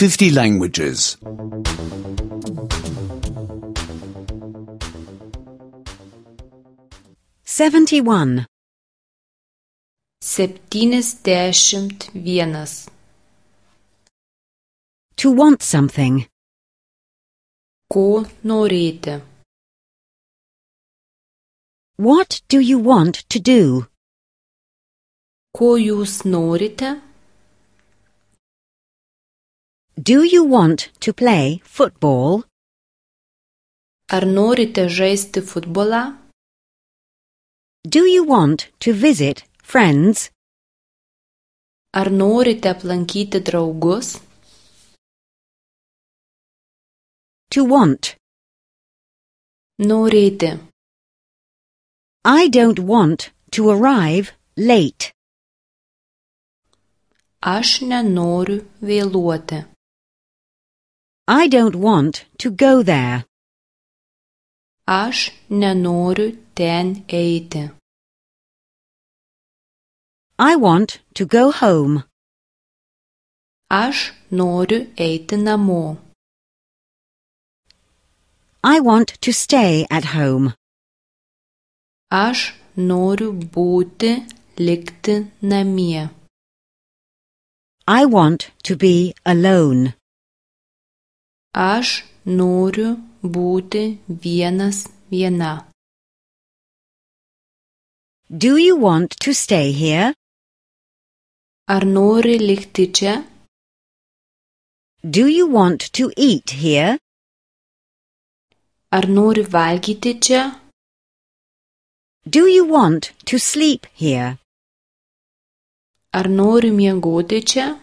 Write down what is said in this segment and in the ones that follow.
50 languages. 71. 71. To want something. Ko norėti? What do you want to do? Ko jūs norite? Do you want to play football? Ar norite žaisti futbolą? Do you want to visit friends? Ar norite aplankyti draugus? To want. Norėti. I don't want to arrive late. Aš nenoriu vėluoti. I don't want to go there. Aš nenoriu ten eiti. I want to go home. Aš noriu eiti namo. I want to stay at home. Aš noriu likti namie. I want to be alone. Aš noriu būti viena. Do you want to stay here? Ar nori likti čia? Do you want to eat here? Ar nori valgyti čia? Do you want to sleep here? Ar nori miegoti čia?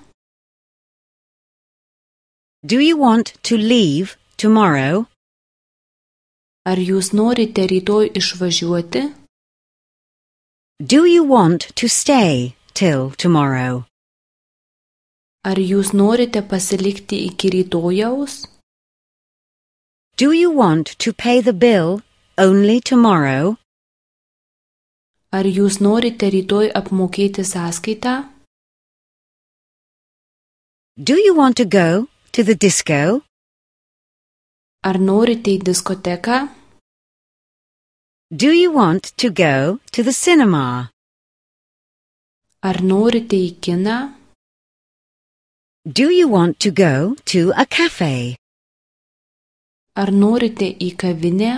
Do you want to leave tomorrow? Ar jūs norite rytoj išvažiuoti? Do you want to stay till tomorrow? Ar jūs norite pasilikti iki rytojaus? Do you want to pay the bill only tomorrow? Ar jūs norite rytoj apmokėti sąskaitą? Do you want to go to the disco? Ar norite į diskoteką? Do you want to go to the cinema? Ar norite į kiną? Do you want to go to a cafe? Ar norite į kavinę?